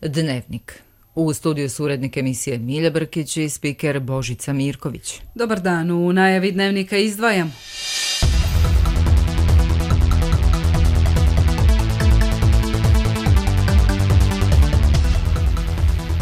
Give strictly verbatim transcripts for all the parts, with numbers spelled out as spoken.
Dnevnik. U studiju su urednik emisije Milja Brkić i spiker Božica Mirković. Dobar dan, u najavi Dnevnika izdvajam.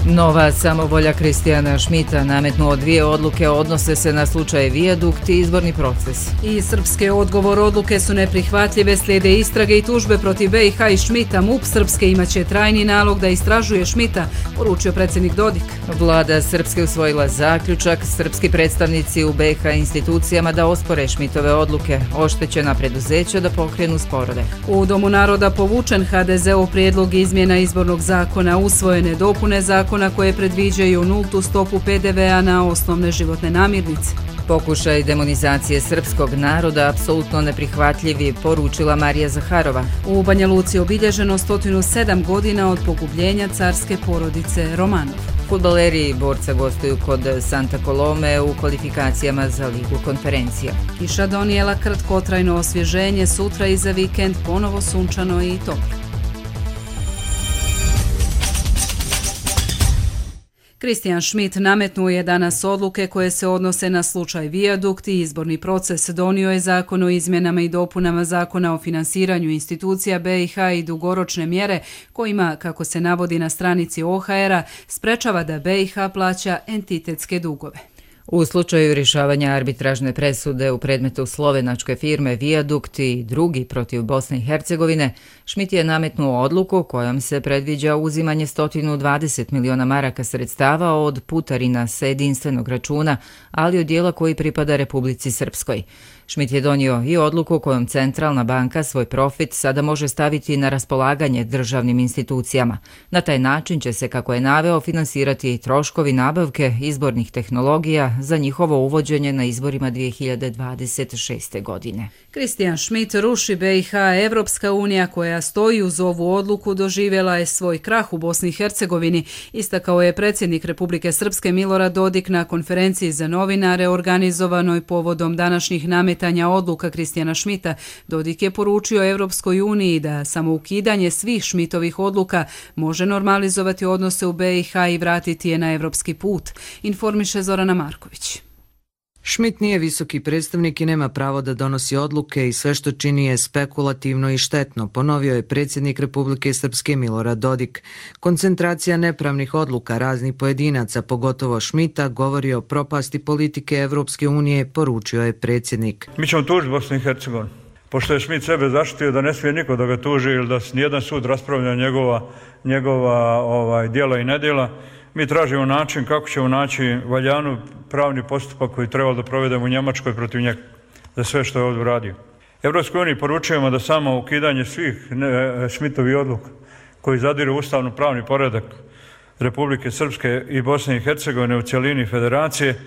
Nova samovolja Kristijana Šmita nametnuo dvije odluke odnose se na slučaj Vijadukt i izborni proces. I srpske odgovor odluke su neprihvatljive, slijede istrage i tužbe protiv B i H i Šmita. M U P Srpske imaće trajni nalog da istražuje Šmita, poručio predsjednik Dodik. Vlada Srpske usvojila zaključak, srpski predstavnici u B i H institucijama da ospore Šmitove odluke, oštećena preduzeća da pokrenu sporove. U Domu naroda povučen H D Z-ov prijedlog izmjena izbornog zakona, usvojene dopune zakona koje predviđaju nultu stopu P D V-a na osnovne životne namirnice. Pokušaj demonizacije srpskog naroda apsolutno neprihvatljivi, poručila Marija Zaharova. U Banja Luci obilježeno sto sedam godina od pogubljenja carske porodice Romanov. Fudbaleri i borca gostuju kod Santa Colome u kvalifikacijama za Ligu konferencija. Kiša donijela kratkotrajno osvježenje, sutra i za vikend ponovo sunčano i toplo. Kristijan Šmit nametnuo je danas odluke koje se odnose na slučaj Vijadukt i izborni proces. Donio je zakon o izmjenama i dopunama zakona o finansiranju institucija B i H i dugoročne mjere kojima, kako se navodi na stranici O H R-a, sprečava da B i H plaća entitetske dugove. U slučaju rješavanja arbitražne presude u predmetu slovenačke firme Vijadukt i drugi protiv Bosne i Hercegovine, Šmit je nametnuo odluku kojom se predviđa uzimanje sto dvadeset miliona maraka sredstava od putarina sa jedinstvenog računa, ali od dijela koji pripada Republici Srpskoj. Šmit je donio i odluku kojom Centralna banka svoj profit sada može staviti na raspolaganje državnim institucijama. Na taj način će se, kako je naveo, finansirati troškovi nabavke izbornih tehnologija za njihovo uvođenje na izborima dvije hiljade dvadeset šeste. godine. Kristijan Šmit ruši B i H. Evropska unija koja stoji uz ovu odluku doživjela je svoj krah u Bosni i Hercegovini, istakao je predsjednik Republike Srpske Milorad Dodik na konferenciji za novinare organizovanoj povodom današnjih nametanja odluka Kristijana Šmita. Dodik je poručio Evropskoj uniji da samo ukidanje svih Šmitovih odluka može normalizovati odnose u B i H i vratiti je na evropski put, informiše Zorana Marković. Šmit nije visoki predstavnik i nema pravo da donosi odluke i sve što čini je spekulativno i štetno, ponovio je predsjednik Republike Srpske Milorad Dodik. Koncentracija nepravnih odluka raznih pojedinaca, pogotovo Šmita, govori o propasti politike Evropske unije, poručio je predsjednik. Mi ćemo tužiti Bosnu i Hercegovinu, pošto je Šmit sebe zaštitio da ne smije niko da ga tuži ili da nijedan sud raspravlja njegova, njegova ovaj, djela i nedjela. Mi tražimo način kako ćemo naći valjanu pravni postupak koji treba da provedemo u Njemačkoj protiv njega za sve što je ovdje uradio. Evropskoj uniji poručujemo da samo ukidanje svih Šmitovih odluka koji zadiru ustavno pravni poredak Republike Srpske i Bosne i Hercegovine u cjelini federacije,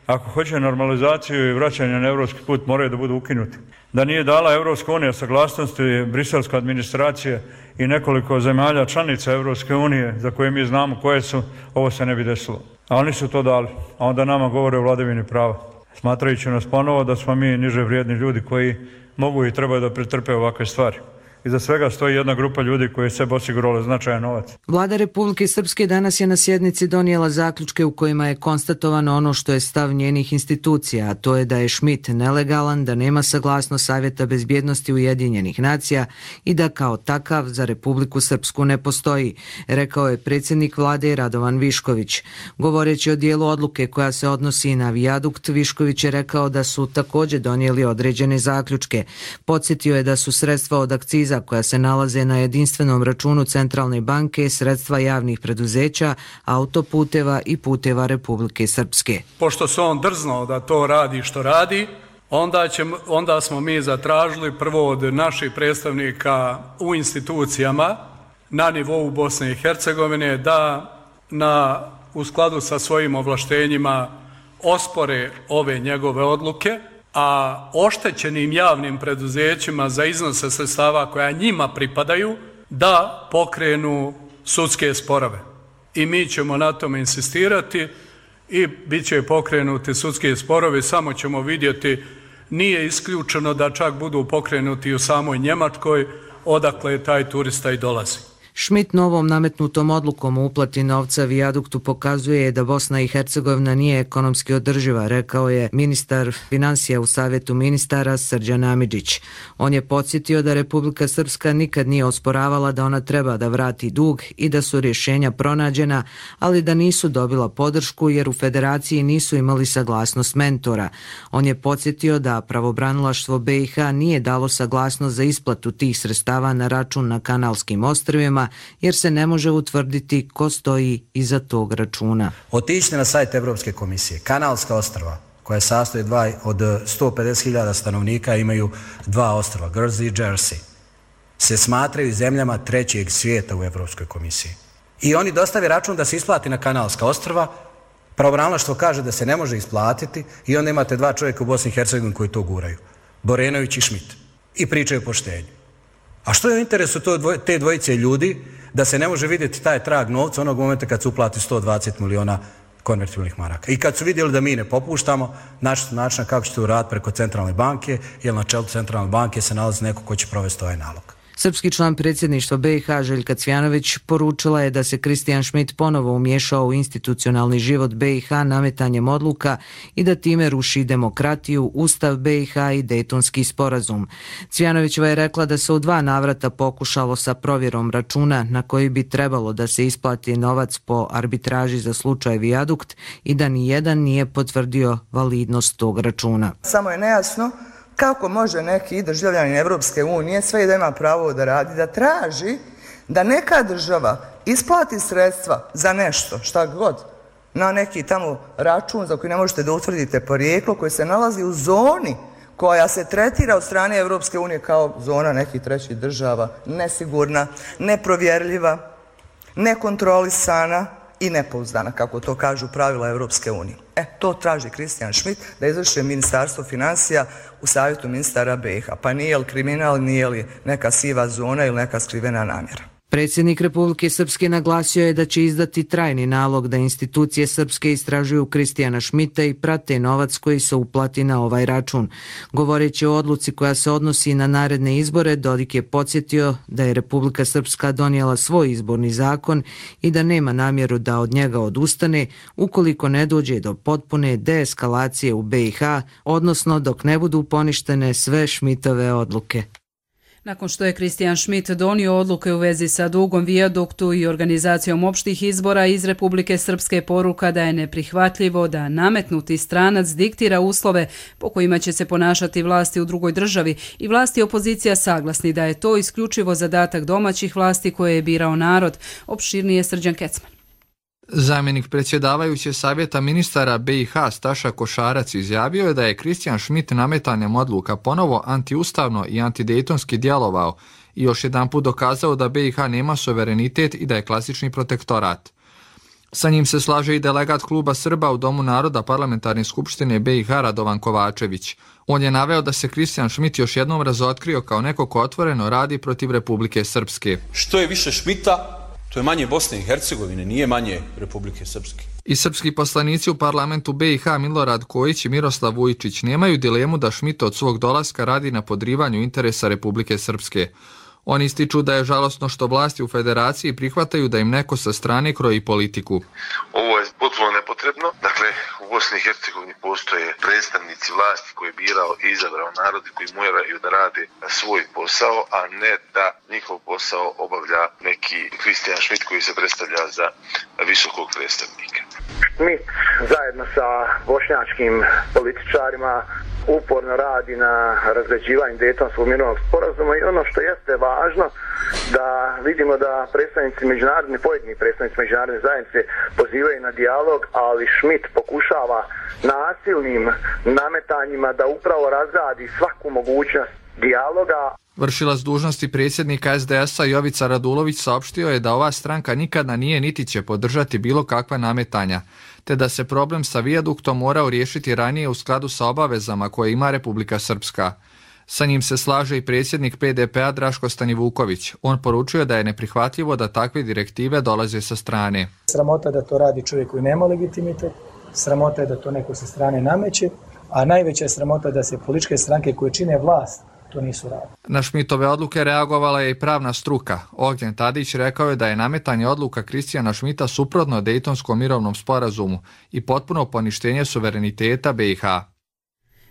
ako hoće normalizaciju i vraćanje na evropski put, moraju da budu ukinuti. Da nije dala Evropska unija saglasnosti, briselska administracija i nekoliko zemalja članica Evropske unije za koje mi znamo koje su, ovo se ne bi desilo. A oni su to dali, a onda nama govore o vladavini prava, smatrajući nas ponovo da smo mi niže vrijedni ljudi koji mogu i trebaju da pretrpe ovakve stvari. Iza svega stoji jedna grupa ljudi koji je sebe osigurali značajan novac. Vlada Republike Srpske danas je na sjednici donijela zaključke u kojima je konstatovano ono što je stav njenih institucija, a to je da je Šmit nelegalan, da nema saglasnost Savjeta bezbjednosti Ujedinjenih nacija i da kao takav za Republiku Srpsku ne postoji, rekao je predsjednik vlade Radovan Višković. Govoreći o dijelu odluke koja se odnosi na Vijadukt, Višković je rekao da su također donijeli određene zaključke. Podsjetio je da su sredstva od akciza koja se nalaze na jedinstvenom računu Centralne banke, sredstva javnih preduzeća, autoputeva i puteva Republike Srpske. Pošto se on drznuo da to radi što radi, onda, će, onda smo mi zatražili prvo od naših predstavnika u institucijama na nivou Bosne i Hercegovine da na, u skladu sa svojim ovlaštenjima ospore ove njegove odluke, a oštećenim javnim preduzećima za iznose sredstava koja njima pripadaju da pokrenu sudske sporove. I mi ćemo na tome insistirati i bit će pokrenuti sudski sporovi, samo ćemo vidjeti, nije isključeno da čak budu pokrenuti u samoj Njemačkoj, odakle taj turista i dolazi. Schmidt novom nametnutom odlukom o uplati novca vijaduktu pokazuje da Bosna i Hercegovina nije ekonomski održiva, rekao je ministar financija u Savjetu ministara Srđan Amidžić. On je podsjetio da Republika Srpska nikad nije osporavala da ona treba da vrati dug i da su rješenja pronađena, ali da nisu dobila podršku jer u federaciji nisu imali saglasnost mentora. On je podsjetio da pravobranilaštvo B i H nije dalo saglasnost za isplatu tih sredstava na račun na Kanalskim ostrvima jer se ne može utvrditi ko stoji iza tog računa. Otiđite na sajt Evropske komisije. Kanalska ostrva, koja sastoji dva, od sto pedeset hiljada stanovnika, imaju dva ostrva, Guernsey i Jersey, se smatraju zemljama trećeg svijeta u Evropskoj komisiji. I oni dostave račun da se isplati na Kanalska ostrva, pravobranilaštvo kaže da se ne može isplatiti i onda imate dva čovjeka u Bosni i Hercegovini koji to guraju. Borenović i Schmidt. I pričaju o poštenju. A što je u interesu te dvojice ljudi da se ne može vidjeti taj trag novca onog momenta kad se uplati sto dvadeset miliona konvertibilnih maraka? I kad su vidjeli da mi ne popuštamo, našli su način kako će to uraditi preko centralne banke, jer na čelu centralne banke se nalazi neko ko će provesti ovaj nalog. Srpski član predsjedništva B i H Željka Cvjanović poručila je da se Kristijan Schmidt ponovo umiješao u institucionalni život B i H nametanjem odluka i da time ruši demokratiju, Ustav B i H i Dejtonski sporazum. Cvjanovićeva je rekla da se u dva navrata pokušalo sa provjerom računa na koji bi trebalo da se isplati novac po arbitraži za slučaj Vijadukt i da ni jedan nije potvrdio validnost tog računa. Samo je nejasno kako može neki državljanin Evropske unije, sve i da ima pravo da radi, da traži da neka država isplati sredstva za nešto, šta god, na neki tamo račun za koji ne možete da utvrdite porijeklo, koji se nalazi u zoni koja se tretira od strane Evropske unije kao zona nekih trećih država, nesigurna, neprovjerljiva, nekontrolisana i nepouzdana, kako to kažu pravila Evropske unije. E, to traži Kristijan Schmidt da izvrši ministarstvo financija u Savjetu ministara B i H. Pa nije li kriminal, nije li neka siva zona ili neka skrivena namjera? Predsjednik Republike Srpske naglasio je da će izdati trajni nalog da institucije Srpske istražuju Kristijana Schmidta i prate novac koji se uplati na ovaj račun. Govoreći o odluci koja se odnosi na naredne izbore, Dodik je podsjetio da je Republika Srpska donijela svoj izborni zakon i da nema namjeru da od njega odustane ukoliko ne dođe do potpune deeskalacije u B i H, odnosno dok ne budu poništene sve Schmidtove odluke. Nakon što je Kristijan Schmidt donio odluke u vezi sa dugom Vijaduktu i organizacijom opštih izbora iz Republike Srpske, poruka da je neprihvatljivo da nametnuti stranac diktira uslove po kojima će se ponašati vlasti u drugoj državi i vlasti opozicija saglasni da je to isključivo zadatak domaćih vlasti koje je birao narod. Opširnije Srđan Kecman. Zamjenik predsjedavajuće savjeta ministara B i H Staša Košarac izjavio je da je Kristijan Schmidt nametanjem odluka ponovo antiustavno i antidejtonski djelovao i još jedanput dokazao da B i H nema suverenitet i da je klasični protektorat. Sa njim se slaže i delegat kluba Srba u Domu naroda Parlamentarne skupštine B i H Radovan Kovačević. On je naveo da se Kristijan Schmidt još jednom razotkrio kao neko ko otvoreno radi protiv Republike Srpske. Što je više Schmidta, to je manje Bosne i Hercegovine, nije manje Republike Srpske. I srpski poslanici u parlamentu B i H Milorad Kojić i Miroslav Vujčić nemaju dilemu da Schmidt od svog dolaska radi na podrivanju interesa Republike Srpske. Oni ističu da je žalosno što vlasti u federaciji prihvataju da im neko sa strane kroji politiku. Ovo je potpuno nepotrebno. Dakle, u Bosni i Hercegovini postoje predstavnici vlasti koje je birao i izabrao narod i koji moraju da rade svoj posao, a ne da njihov posao obavlja neki Kristijan Schmidt koji se predstavlja za visokog predstavnika. Schmidt zajedno sa bošnjačkim političarima uporno radi na razređivanju Dejtonskog mirovnog sporazuma i ono što jeste važno da vidimo da predstavnici međunarodne, pojedini predstavnici međunarodne zajednice pozivaju na dijalog, ali Schmidt pokušava nasilnim nametanjima da upravo razradi svaku mogućnost dijaloga. Vršilac dužnosti predsjednika S D S-a Jovica Radulović saopštio je da ova stranka nikada nije niti će podržati bilo kakva nametanja, te da se problem sa Vijaduktom morao riješiti ranije u skladu sa obavezama koje ima Republika Srpska. Sa njim se slaže i predsjednik P D P-a Draško Stanivuković. On poručuje da je neprihvatljivo da takve direktive dolaze sa strane. Sramota da to radi čovjek koji nema legitimitet, sramota je da to neko sa strane nameće, a najveća je sramota da se političke stranke koje čine vlast to nisu radili. Na Šmitove odluke reagovala je i pravna struka. Ognjen Tadić rekao je da je nametanje odluka Kristijana Šmita suprotno Dejtonskom mirovnom sporazumu i potpuno poništenje suvereniteta B i H.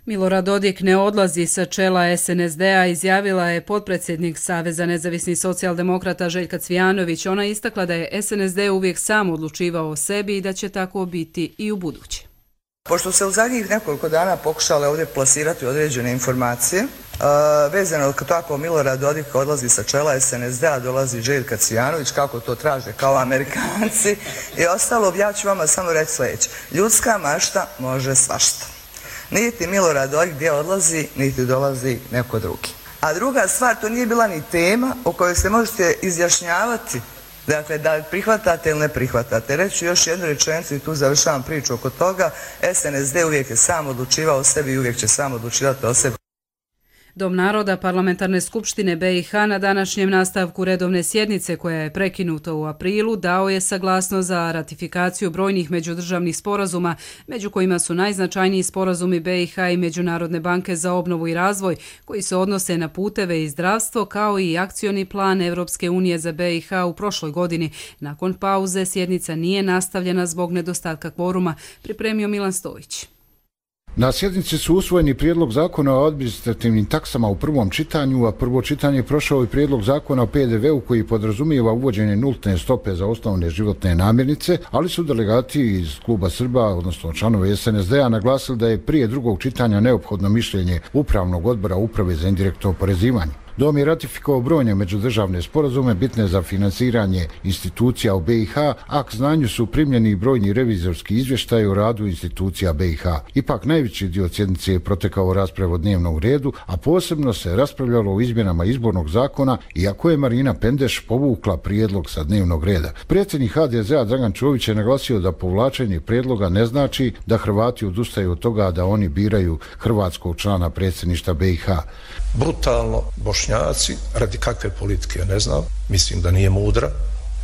Milorad Dodik ne odlazi sa čela S N S D-a, izjavila je potpredsjednik Saveza nezavisnih socijaldemokrata Željka Cvijanović. Ona je istakla da je S N S D uvijek sam odlučivao o sebi i da će tako biti i u buduće. Pošto se u zadnjih nekoliko dana pokušale ovdje plasirati određene informacije, uh, vezano kako Milorad Dodik odlazi sa čela S N S D-a, dolazi Željka Cvijanović, kako to traže kao Amerikanci i ostalo, ja ću vama samo reći sljedeće. Ljudska mašta može svašta. Niti Milorad Dodik gdje odlazi, niti dolazi neko drugi. A druga stvar, to nije bila ni tema o kojoj se možete izjašnjavati. Dakle, da prihvatate ili ne prihvatate. Reću još jednu rečenicu i tu završavam priču oko toga. S N S D uvijek je sam odlučivao o sebi i uvijek će sam odlučivati o sebi. Dom naroda Parlamentarne skupštine B i H na današnjem nastavku redovne sjednice koja je prekinuta u aprilu dao je saglasnost za ratifikaciju brojnih međudržavnih sporazuma, među kojima su najznačajniji sporazumi B i H i Međunarodne banke za obnovu i razvoj koji se odnose na puteve i zdravstvo, kao i akcioni plan Evropske unije za B i H u prošloj godini. Nakon pauze sjednica nije nastavljena zbog nedostatka kvoruma, pripremio Milan Stojić. Na sjednici su usvojeni prijedlog zakona o administrativnim taksama u prvom čitanju, a prvo čitanje je prošao i prijedlog zakona o P D V-u koji podrazumijeva uvođenje nultne stope za osnovne životne namirnice, ali su delegati iz kluba Srba, odnosno članovi S N S D-a, naglasili da je prije drugog čitanja neophodno mišljenje Upravnog odbora Uprave za indirektno oporezivanje. Dom je ratifikovao brojne međudržavne sporazume bitne za finansiranje institucija u B i H, a k znanju su primljeni brojni revizorski izvještaji o radu institucija B i H. Ipak najveći dio sjednice je protekao raspravu o dnevnom redu, a posebno se raspravljalo o izmjenama izbornog zakona, iako je Marina Pendeš povukla prijedlog sa dnevnog reda. Predsjednik H D Z-a Dragan Čović je naglasio da povlačenje prijedloga ne znači da Hrvati odustaju od toga da oni biraju hrvatskog člana predsjedništva B i H. Brutalno Bošnjaci, radi kakve politike ne znam, mislim da nije mudra,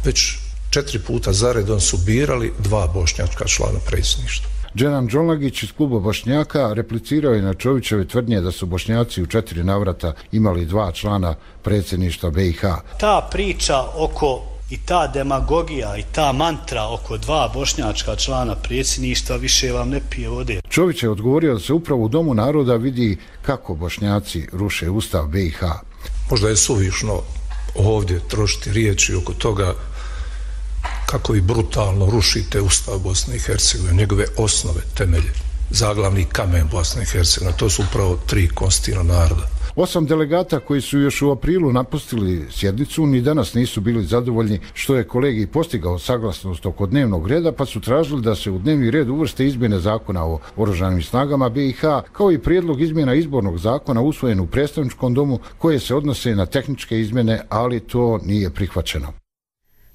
već četiri puta zaredom su birali dva bošnjačka člana predsjedništva. Dženan Đolnagić iz kluba Bošnjaka replicirao je na Čovićeve tvrdnje da su Bošnjaci u četiri navrata imali dva člana predsjedništva B i H. Ta priča oko i ta demagogija i ta mantra oko dva bošnjačka člana predsjedništva više vam ne pije vode. Čović je odgovorio da se upravo u Domu naroda vidi kako Bošnjaci ruše ustav B i H. Možda je suvišno ovdje trošiti riječi oko toga kako vi brutalno rušite ustav Bosne i Hercegovine, njegove osnove, temelje, zaglavni kamen Bosne i Hercegovine, to su upravo tri konstitutivna naroda. Osam delegata koji su još u aprilu napustili sjednicu ni danas nisu bili zadovoljni što je kolegij postigao saglasnost oko dnevnog reda, pa su tražili da se u dnevni red uvrste izmjene zakona o oružanim snagama B i H, kao i prijedlog izmjena izbornog zakona usvojen u predstavničkom domu koje se odnose na tehničke izmjene, ali to nije prihvaćeno.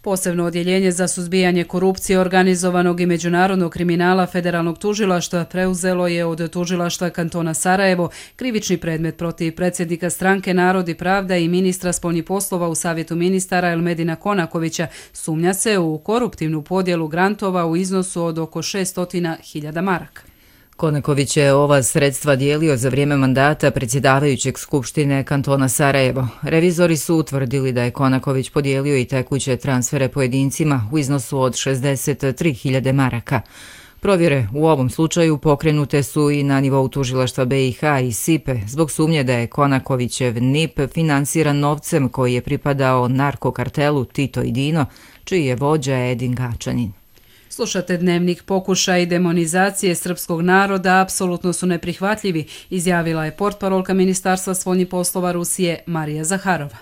Posebno odjeljenje za suzbijanje korupcije, organizovanog i međunarodnog kriminala Federalnog tužilaštva preuzelo je od tužilaštva kantona Sarajevo krivični predmet protiv predsjednika stranke Narod i pravda i ministra spoljnih poslova u Savjetu ministara Elmedina Konakovića. Sumnja se u koruptivnu podjelu grantova u iznosu od oko šessto hiljada maraka. Konaković je ova sredstva dijelio za vrijeme mandata predsjedavajućeg Skupštine kantona Sarajevo. Revizori su utvrdili da je Konaković podijelio i tekuće transfere pojedincima u iznosu od šezdeset tri hiljade maraka. Provjere u ovom slučaju pokrenute su i na nivou tužilaštva B i H i Sipe zbog sumnje da je Konakovićev N I P finansiran novcem koji je pripadao narkokartelu Tito i Dino, čiji je vođa Edin Gačanin. Slušate Dnevnik. Pokušaj demonizacije srpskog naroda apsolutno su neprihvatljivi, izjavila je portparolka Ministarstva spoljnih poslova Rusije Marija Zaharova.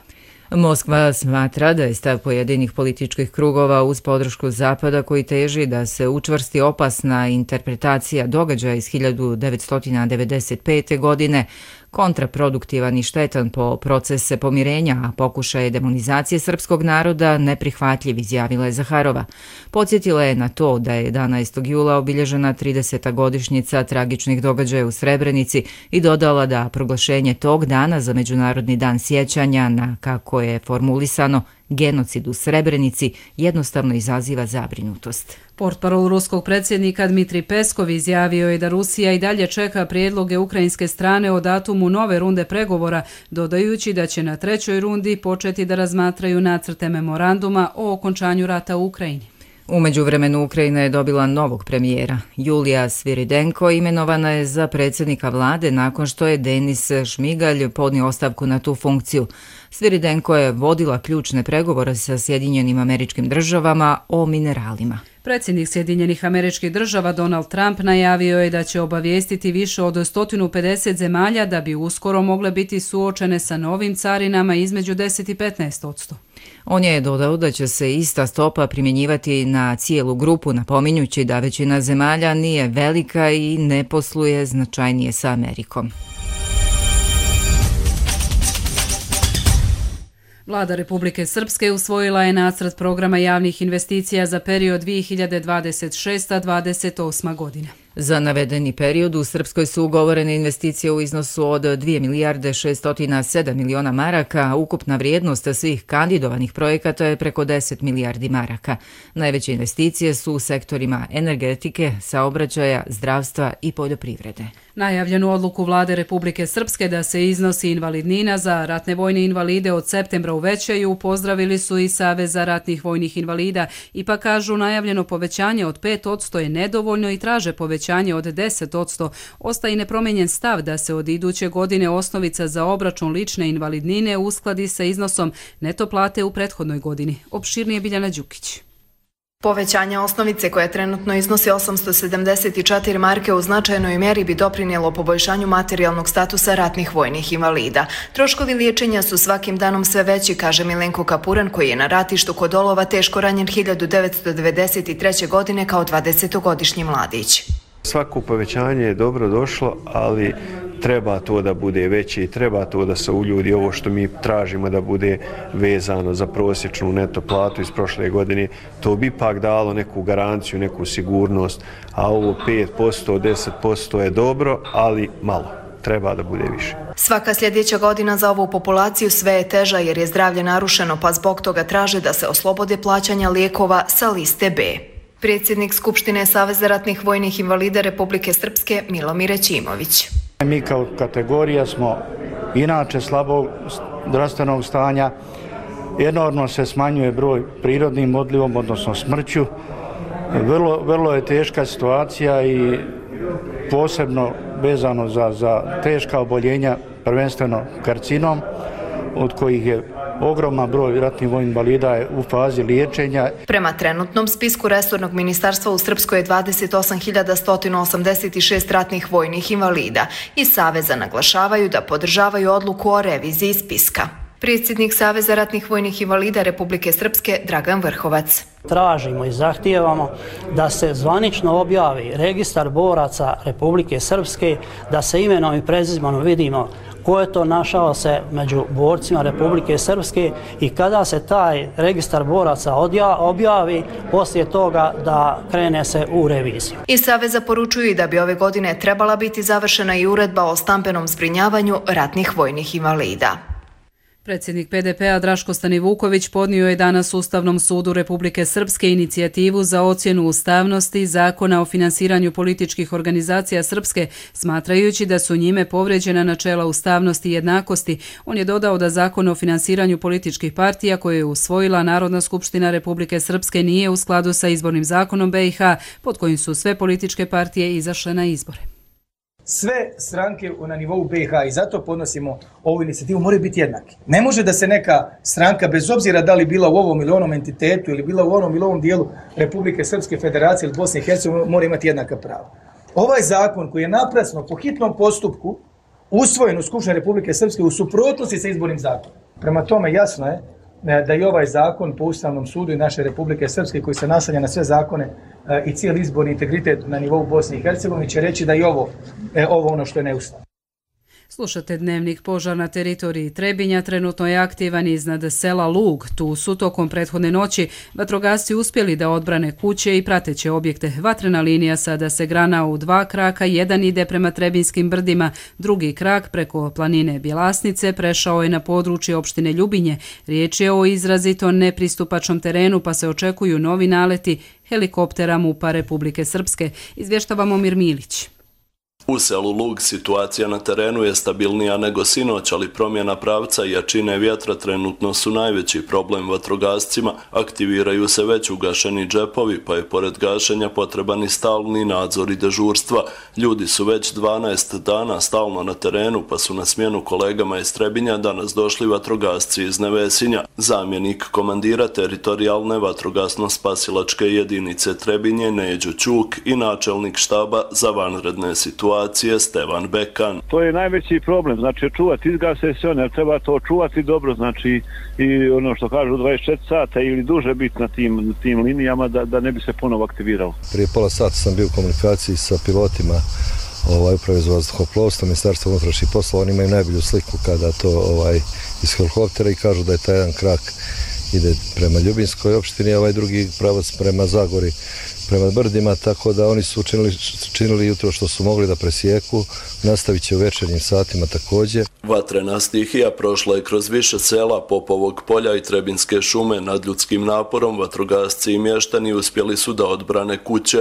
Moskva smatra da je stav pojedinih političkih krugova uz podršku Zapada koji teži da se učvrsti opasna interpretacija događaja iz hiljadu devetsto devedeset pete. godine kontraproduktivan i štetan po procese pomirenja, a pokušaje demonizacije srpskog naroda neprihvatljiv, izjavila je Zaharova. Podsjetila je na to da je jedanaestog jula obilježena trideseta godišnjica tragičnih događaja u Srebrenici i dodala da proglašenje tog dana za Međunarodni dan sjećanja na, kako je formulisano, genocid u Srebrenici jednostavno izaziva zabrinutost. Portparol ruskog predsjednika Dmitrij Peskov izjavio je da Rusija i dalje čeka prijedloge ukrajinske strane o datumu nove runde pregovora, dodajući da će na trećoj rundi početi da razmatraju nacrte memoranduma o okončanju rata u Ukrajini. U međuvremenu Ukrajina je dobila novog premijera. Julija Sviridenko imenovana je za predsjednika vlade nakon što je Denis Šmigalj podnio ostavku na tu funkciju. Sviridenko je vodila ključne pregovore sa Sjedinjenim Američkim Državama o mineralima. Predsjednik Sjedinjenih Američkih Država Donald Trump najavio je da će obavijestiti više od sto pedeset zemalja da bi uskoro mogle biti suočene sa novim carinama između deset i petnaest posto. On je dodao da će se ista stopa primjenjivati na cijelu grupu, napominjući da većina zemalja nije velika i ne posluje značajnije sa Amerikom. Vlada Republike Srpske usvojila je nacrt programa javnih investicija za period dvije hiljade dvadeset šesta do dvadeset osma godina. Za navedeni period u Srpskoj su ugovorene investicije u iznosu od dvije milijarde šesto sedam miliona maraka, a ukupna vrijednost svih kandidovanih projekata je preko deset milijardi maraka. Najveće investicije su u sektorima energetike, saobraćaja, zdravstva i poljoprivrede. Najavljenu odluku Vlade Republike Srpske da se iznosi invalidnina za ratne vojne invalide od septembra uvećaju pozdravili su i Saveza ratnih vojnih invalida, ipak kažu najavljeno povećanje od pet posto je nedovoljno i traže povećanje od deset posto. Ostaje nepromijenjen stav da se od iduće godine osnovica za obračun lične invalidnine uskladi sa iznosom neto plate u prethodnoj godini. Opširnije Biljana Đukić. Povećanje osnovice koja trenutno iznosi osamsto sedamdeset četiri marke u značajnoj mjeri bi doprinijelo poboljšanju materijalnog statusa ratnih vojnih invalida. Troškovi liječenja su svakim danom sve veći, kaže Milenko Kapuran, koji je na ratištu kod Olova teško ranjen hiljadu devetsto devedeset treće. godine kao dvadesetogodišnji mladić. Svako povećanje je dobro došlo, ali treba to da bude veće i treba to da se uljudi ovo što mi tražimo da bude vezano za prosječnu neto platu iz prošle godine. To bi ipak dalo neku garanciju, neku sigurnost, a ovo pet posto, deset posto je dobro, ali malo. Treba da bude više. Svaka sljedeća godina za ovu populaciju sve je teža jer je zdravlje narušeno, pa zbog toga traže da se oslobode plaćanja lijekova sa liste B. Predsjednik Skupštine Saveza ratnih vojnih invalida Republike Srpske Milomir Ćimović. Mi kao kategorija smo inače slabog zdravstvenog stanja, enormno se smanjuje broj prirodnim odlivom, odnosno smrću. Vrlo, vrlo je teška situacija i posebno vezano za, za teška oboljenja, prvenstveno karcinom, od kojih je ogroman broj ratnih vojnih invalida je u fazi liječenja. Prema trenutnom spisku resornog ministarstva u Srpskoj je dvadeset osam hiljada sto osamdeset šest ratnih vojnih invalida i Saveza naglašavaju da podržavaju odluku o reviziji spiska. Predsjednik Saveza ratnih vojnih invalida Republike Srpske Dragan Vrhovac. Tražimo i zahtijevamo da se zvanično objavi registar boraca Republike Srpske, da se imenom i prezimenom vidimo ko je to našao se među borcima Republike Srpske i kada se taj registar boraca objavi, poslije toga da krene se u reviziju. Iz Saveza poručuju da bi ove godine trebala biti završena i uredba o stambenom zbrinjavanju ratnih vojnih invalida. Predsjednik P D P-a Draško Stanivuković podnio je danas Ustavnom sudu Republike Srpske inicijativu za ocjenu ustavnosti Zakona o finansiranju političkih organizacija Srpske, smatrajući da su njime povrijeđena načela ustavnosti i jednakosti. On je dodao da Zakon o finansiranju političkih partija koje je usvojila Narodna skupština Republike Srpske nije u skladu sa izbornim zakonom B i H, pod kojim su sve političke partije izašle na izbore. Sve stranke na nivou B i H i zato podnosimo ovu inicijativu moraju biti jednaki. Ne može da se neka stranka, bez obzira da li bila u ovom ili onom entitetu ili bila u onom ili ovom dijelu Republike Srpske Federacije ili Bosne i Hercegovine, mora imati jednaka prava. Ovaj zakon koji je naprasno po hitnom postupku usvojen u Skupštini Republike Srpske u suprotnosti sa izbornim zakonom. Prema tome jasno je da i ovaj zakon po Ustavnom sudu i naše Republike Srpske koji se naslanja na sve zakone i cijeli izborni integritet na nivou Bosne i Hercegovine će reći da i ovo, ovo ono što je neustavno. Slušate Dnevnik. Požar na teritoriji Trebinja trenutno je aktivan iznad sela Lug. Tu su tokom prethodne noći vatrogasci uspjeli da odbrane kuće i prateće objekte. Vatrena linija sada se grana u dva kraka, jedan ide prema Trebinskim brdima, drugi krak preko planine Bjelasnice prešao je na područje opštine Ljubinje. Riječ je o izrazito nepristupačnom terenu, pa se očekuju novi naleti helikoptera MUP-a Republike Srpske. Izvještava Momir Milić. U selu Lug situacija na terenu je stabilnija nego sinoć, ali promjena pravca i jačine vjetra trenutno su najveći problem vatrogascima. Aktiviraju se već ugašeni džepovi, pa je pored gašenja potreban i stalni nadzor i dežurstva. Ljudi su već dvanaest dana stalno na terenu, pa su na smjenu kolegama iz Trebinja danas došli vatrogasci iz Nevesinja. Zamjenik komandira teritorijalne vatrogasno-spasilačke jedinice Trebinje Neđo Ćuk i načelnik štaba za vanredne situacije Stevan Bekan. To je najveći problem, znači čuvati izgase se one, treba to čuvati dobro, znači i ono što kažu dvadeset četiri sata ili duže biti na tim, tim linijama da, da ne bi se ponovo aktiviralo. Prije pola sata sam bio u komunikaciji sa pilotima ovaj, uprave za vazduhoplovstvo, Ministarstva unutrašnjih poslova, oni imaju najbolju sliku kada to ovaj, iz helikoptera i kažu da je taj jedan krak ide prema Ljubinskoj opštini, a ovaj drugi pravac prema Zagori, prema brdima, tako da oni su činili, činili jutro što su mogli da presijeku, nastavit će u večernjim satima također. Vatrena stihija prošla je kroz više sela Popovog polja i Trebinske šume. Nad ljudskim naporom vatrogasci i mještani uspjeli su da odbrane kuće.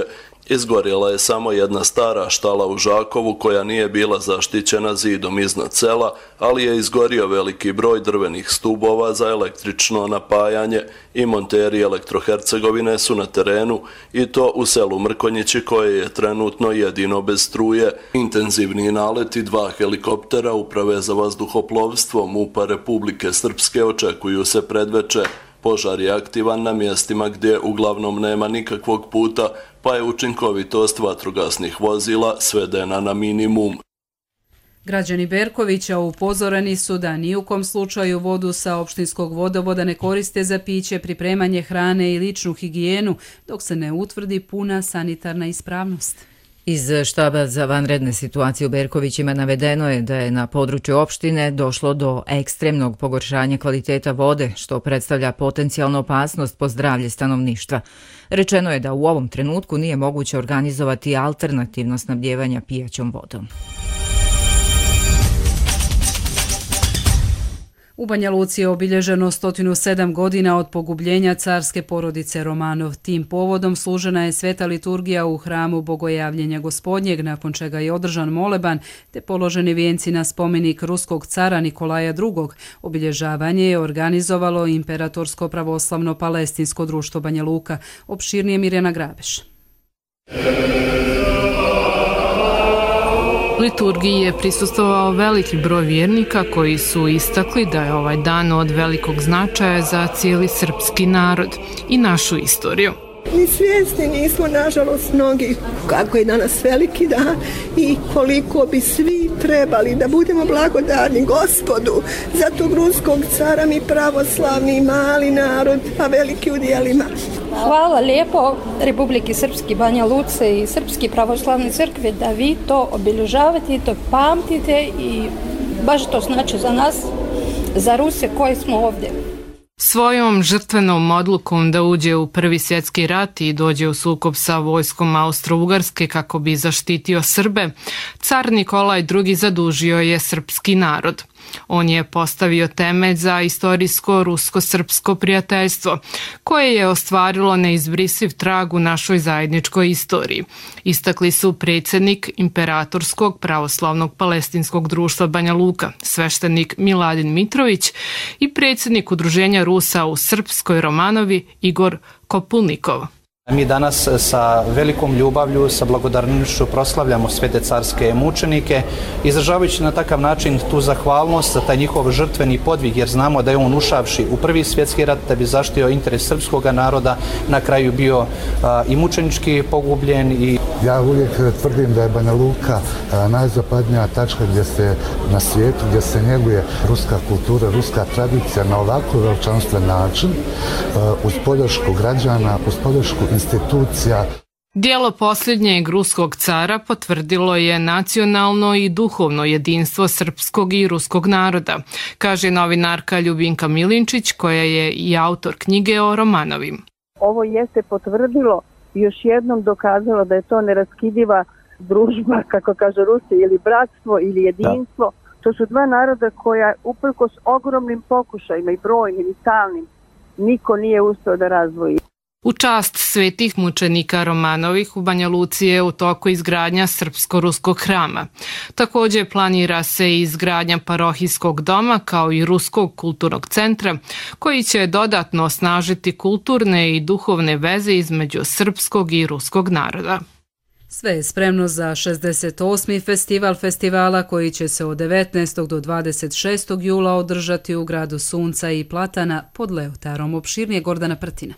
Izgorjela je samo jedna stara štala u Žakovu koja nije bila zaštićena zidom iznad sela, ali je izgorio veliki broj drvenih stubova za električno napajanje i monteri Elektrohercegovine su na terenu i to u selu Mrkonjići koje je trenutno jedino bez struje. Intenzivni naleti dva helikoptera Uprave za vazduhoplovstvo MUP-a Republike Srpske očekuju se predveče. Požar je aktivan na mjestima gdje uglavnom nema nikakvog puta, pa je učinkovitost vatrogasnih vozila svedena na minimum. Građani Berkovića upozoreni su da ni u kom slučaju vodu sa opštinskog vodovoda ne koriste za piće, pripremanje hrane i ličnu higijenu, dok se ne utvrdi puna sanitarna ispravnost. Iz štaba za vanredne situacije u Berkovićima navedeno je da je na području opštine došlo do ekstremnog pogoršanja kvaliteta vode, što predstavlja potencijalnu opasnost po zdravlje stanovništva. Rečeno je da u ovom trenutku nije moguće organizovati alternativno snabdijevanje pijaćom vodom. U Banja Luci je obilježeno sto sedam godina od pogubljenja carske porodice Romanov. Tim povodom služena je sveta liturgija u hramu Bogojavljenja Gospodnjeg, nakon čega je održan moleban te položeni vijenci na spomenik ruskog cara Nikolaja drugog. Obilježavanje je organizovalo Imperatorsko pravoslavno palestinsko društvo Banja Luka. Opširnije Mirjana Grabeš. Liturgiji je prisustvovao veliki broj vjernika koji su istakli da je ovaj dan od velikog značaja za cijeli srpski narod i našu istoriju. Mi svjesni nismo, nažalost, mnogi kako je danas veliki dan i koliko bi svi trebali da budemo blagodarni Gospodu za tog ruskog cara, mi pravoslavni mali narod, a veliki u dijelima. Hvala lijepo Republiki Srpski Banja Luce i Srpski pravoslavni crkve da vi to obilježavate i to pamtite i baš to znači za nas, za Ruse koji smo ovdje. Svojom žrtvenom odlukom da uđe u Prvi svjetski rat i dođe u sukob sa vojskom Austro-Ugarske kako bi zaštitio Srbe, car Nikolaj drugi zadužio je srpski narod. On je postavio temelj za istorijsko rusko-srpsko prijateljstvo, koje je ostvarilo neizbrisiv trag u našoj zajedničkoj istoriji. Istakli su predsjednik Imperatorskog pravoslavnog palestinskog društva Banja Luka, sveštenik Miladin Mitrović i predsjednik Udruženja Rusa u Srpskoj Romanovi Igor Kopulnikov. Mi danas sa velikom ljubavlju, sa blagodarnošću proslavljamo svete carske mučenike, izražavajući na takav način tu zahvalnost za taj njihov žrtveni podvig, jer znamo da je on ušavši u Prvi svjetski rat da bi zaštitio interes srpskog naroda, na kraju bio a, i mučenički pogubljen. I... Ja uvijek tvrdim da je Banja Luka a, najzapadnija tačka gdje se na svijetu, gdje se njeguje ruska kultura, ruska tradicija na ovako veličanstven način, a, uz podršku građana, uz podršku institucija. Dijelo posljednjeg ruskog cara potvrdilo je nacionalno i duhovno jedinstvo srpskog i ruskog naroda, kaže novinarka Ljubinka Milinčić, koja je i autor knjige o Romanovim. Ovo jeste potvrdilo i još jednom dokazalo da je to neraskidiva družba, kako kaže Rusi, ili bratstvo ili jedinstvo. Da. To su dva naroda koja uprkos ogromnim pokušajima i brojnim i stalnim niko nije uspeo da razvoji. U čast svetih mučenika Romanovih u Banja Luci je u toku izgradnja srpsko-ruskog hrama. Također planira se i izgradnja parohijskog doma kao i ruskog kulturnog centra koji će dodatno osnažiti kulturne i duhovne veze između srpskog i ruskog naroda. Sve je spremno za šezdeset osmi festival festivala koji će se od devetnaestog do dvadeset šestog jula održati u gradu Sunca i Platana pod Leotarom. Opširnije Gordana Prtina.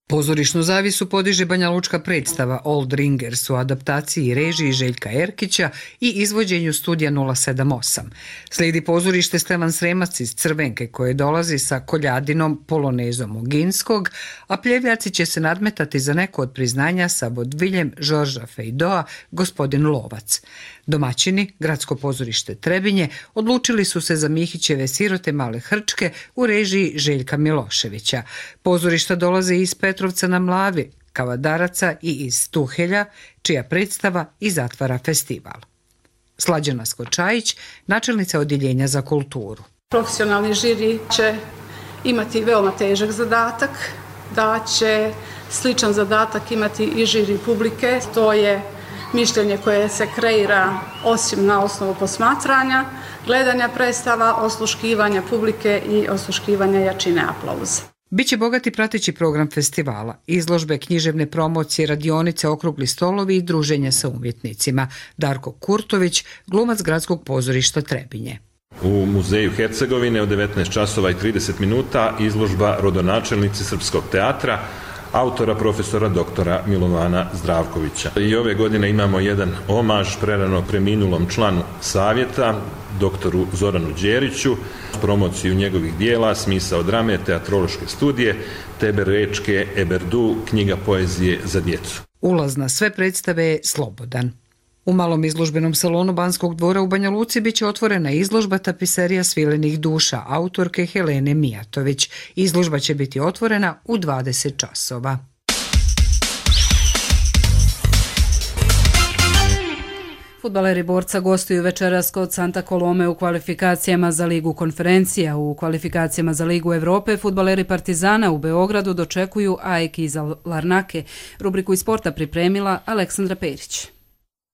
Pozorišnu zavisu podiže banjalučka predstava Old Ringers u adaptaciji i režiji Željka Erkića i izvođenju studija nula sedam osam. Slijedi pozorište Stevan Sremac iz Crvenke koje dolazi sa koljadinom polonezom Oginskog, a pljevljaci će se nadmetati za neko od priznanja sa vodviljem Žorža Fejdoa, Gospodin Lovac. Domaćini, gradsko pozorište Trebinje, odlučili su se za Mihićeve Sirote male Hrčke u režiji Željka Miloševića. Pozorišta dolaze iz Petrovca na Mlavi, Kavadaraca i iz Tuhelja, čija predstava i zatvara festival. Slađana Skočajić, načelnica odjeljenja za kulturu. Profesionalni žiri će imati veoma težak zadatak, da će sličan zadatak imati i žiri publike, to je mišljenje koje se kreira osim na osnovu posmatranja, gledanja predstava, osluškivanja publike i osluškivanja jačine aplauza. Biće bogati prateći program festivala, izložbe, književne promocije, radionice, okrugli stolovi i druženja sa umjetnicima. Darko Kurtović, glumac gradskog pozorišta Trebinje. U muzeju Hercegovine od devetnaest časova i trideset minuta izložba Rodonačelnici srpskog teatra, autora profesora doktora Milovana Zdravkovića. I ove godine imamo jedan omaž prerano preminulom članu savjeta, doktoru Zoranu Đeriću, promociju njegovih dijela, smisao drame, teatrološke studije, Teber Rečke, Eberdu, knjiga poezije za djecu. Ulaz na sve predstave je slobodan. U malom izložbenom salonu Banskog dvora u Banja Luci biće otvorena izložba tapiserija svilenih duša autorke Helene Mijatović. Izložba će biti otvorena u dvadeset časova. Fudbaleri Borca gostuju večeras kod Santa Colome u kvalifikacijama za Ligu konferencija. U kvalifikacijama za Ligu Evrope fudbaleri Partizana u Beogradu dočekuju A E K iz Larnake. Rubriku iz sporta pripremila Aleksandra Perić.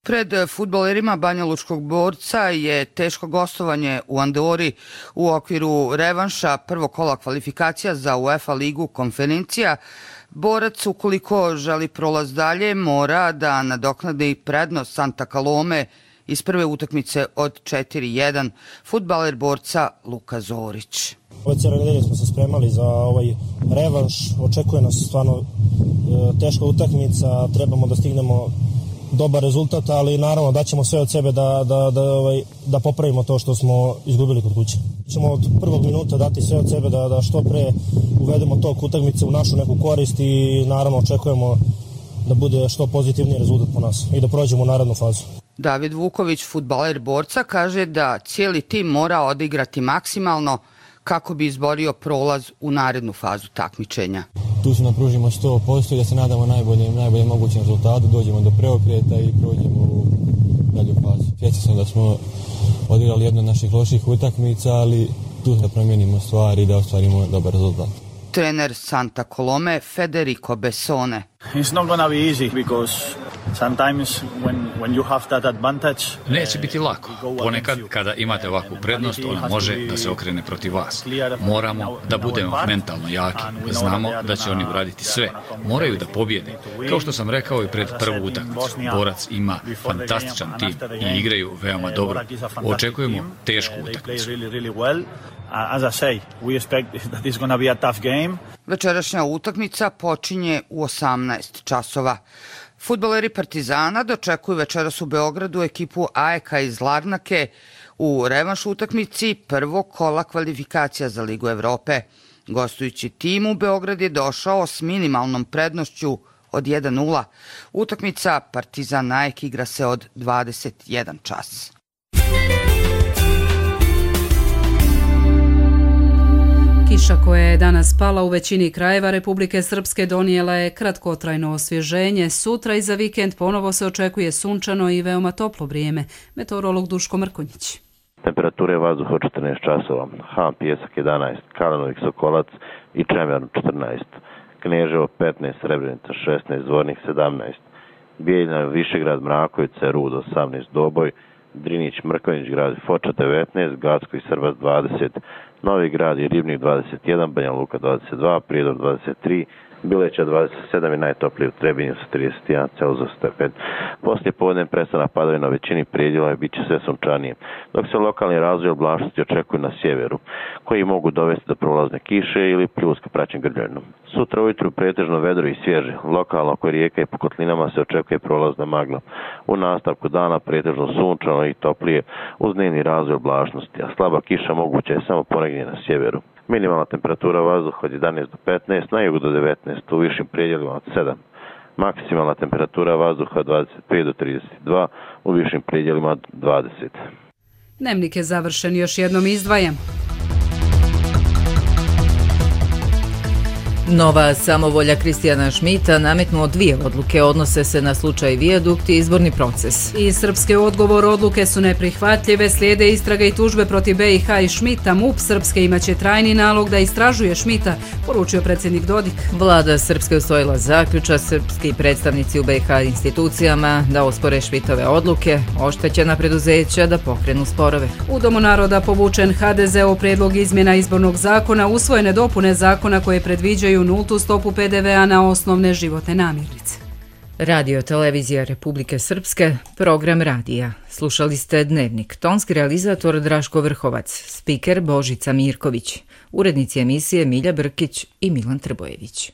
Pred fudbalerima Banjalučkog Borca je teško gostovanje u Andori u okviru revanša prvog kola kvalifikacija za UEFA ligu konferencija. Borac, ukoliko želi prolaz dalje, mora da nadoknadi prednost Santa Colome iz prve utakmice od četiri jedan. Fudbaler Borca Luka Zorić. Ove cijele nedelje smo se spremali za ovaj revanš. Očekuje nas stvarno teška utakmica. Trebamo da stignemo dobar rezultat, ali naravno daćemo sve od sebe da, da, da, ovaj, da popravimo to što smo izgubili kod kuće. Ćemo od prvog minuta dati sve od sebe da, da što pre uvedemo tok utakmice u našu neku korist i naravno očekujemo da bude što pozitivniji rezultat po nas i da prođemo u narednu fazu. David Vuković, fudbaler Borca, kaže da cijeli tim mora odigrati maksimalno kako bi izborio prolaz u narednu fazu takmičenja. Tu se napružimo sto posto i da se nadamo najboljem, najboljem mogućem rezultatu, dođemo do preokreta i prođemo u dalju fazu. Svjesni sam da smo odigrali jednu od naših loših utakmica, ali tu da promijenimo stvari i da ostvarimo dobar rezultat. Trener Santa Colome Federico Bessone. It's not gonna be easy because sometimes when when you have that advantage. Neće biti lako. Ponekad kada imate ovakvu prednost, ona može da se okrene protiv vas. Moramo da budemo mentalno jaki. Znamo da će oni uraditi sve. Moraju da pobjede. Kao što sam rekao i pred prvu utakmicu, Borac ima fantastičan tim i igraju veoma dobro. Očekujemo tešku utakmicu. As I say, we expect that it's going to be a tough game. Večerašnja utakmica počinje u osamnaest časova. Fudbaleri Partizana dočekuju večeras u Beogradu ekipu A E K iz Larnake u revanš utakmici prvog kola kvalifikacija za Ligu Evrope. Gostujući tim u Beograd je došao s minimalnom prednošću od jedan nula. Utakmica Partizan Nike igra se od dvadeset jedan čas. Kiša koja je danas pala u većini krajeva Republike Srpske donijela je kratkotrajno osvježenje. Sutra i za vikend ponovo se očekuje sunčano i veoma toplo vrijeme. Meteorolog Duško Mrkonjić. Temperature vazduha od četrnaest časova, Han Pijesak jedanaest, Kalanovik Sokolac i Čemerno četrnaest, Kneževo petnaest, Srebrenica šesnaest, Zvornik sedamnaest, Bijeljina Višegrad Mrakovica Rud osamnaest, Doboj, Drinić Mrkonjić grad Foča devetnaest, Gacko i Srbac dvadeset, Novi grad i Ribnik dvadeset jedan, Banja Luka dvadeset dva, Prijedor dvadeset tri, Bileća dvadeset sedam i najtoplije u Trebinju sa trideset jedan Celzijus stepen. Poslije podne prestanak padavina u većini predjela i bit će sve sunčanije, dok se lokalni razvoj oblačnosti očekuju na sjeveru, koji mogu dovesti do prolazne kiše ili pljuska praćen grljavinom. Sutra ujutru pretežno vedro i svježe, lokalno oko rijeka i po kotlinama se očekuje prolazna magla. U nastavku dana pretežno sunčano i toplije uz dnevni razvoj oblačnosti, a slaba kiša moguća je samo ponegdje na sjeveru. Minimalna temperatura vazduha od jedanaest do petnaest, na jugu do devetnaest, u višim predjelima od sedam. Maksimalna temperatura vazduha od dvadeset pet do trideset dva, u višim predjelima od dvadeset. Dnevnik je završen, još jednom izdvajam. Nova samovolja Kristijana Šmita nametnuo dvije odluke, odnose se na slučaj Vijadukt i izborni proces. I srpske odgovor odluke su neprihvatljive, slijede istraga i tužbe protiv B i H i Šmita. M U P Srpske imaće trajni nalog da istražuje Šmita, poručio predsjednik Dodik. Vlada Srpske usvojila zaključak srpski predstavnici u B i H institucijama da ospore Šmitove odluke, oštećena preduzeća da pokrenu sporove. U Domu naroda povučen H D Z-ov prijedlog izmjena izbornog zakona, usvojene dopune zakona koje predviđaju nultu stopu P D V-a na osnovne životne namirnice. Radio Televizija Republike Srpske, program radija. Slušali ste Dnevnik. Tonski realizator Draško Vrhovac, spiker Božica Mirković, urednici emisije Milja Brkić i Milan Trbojević.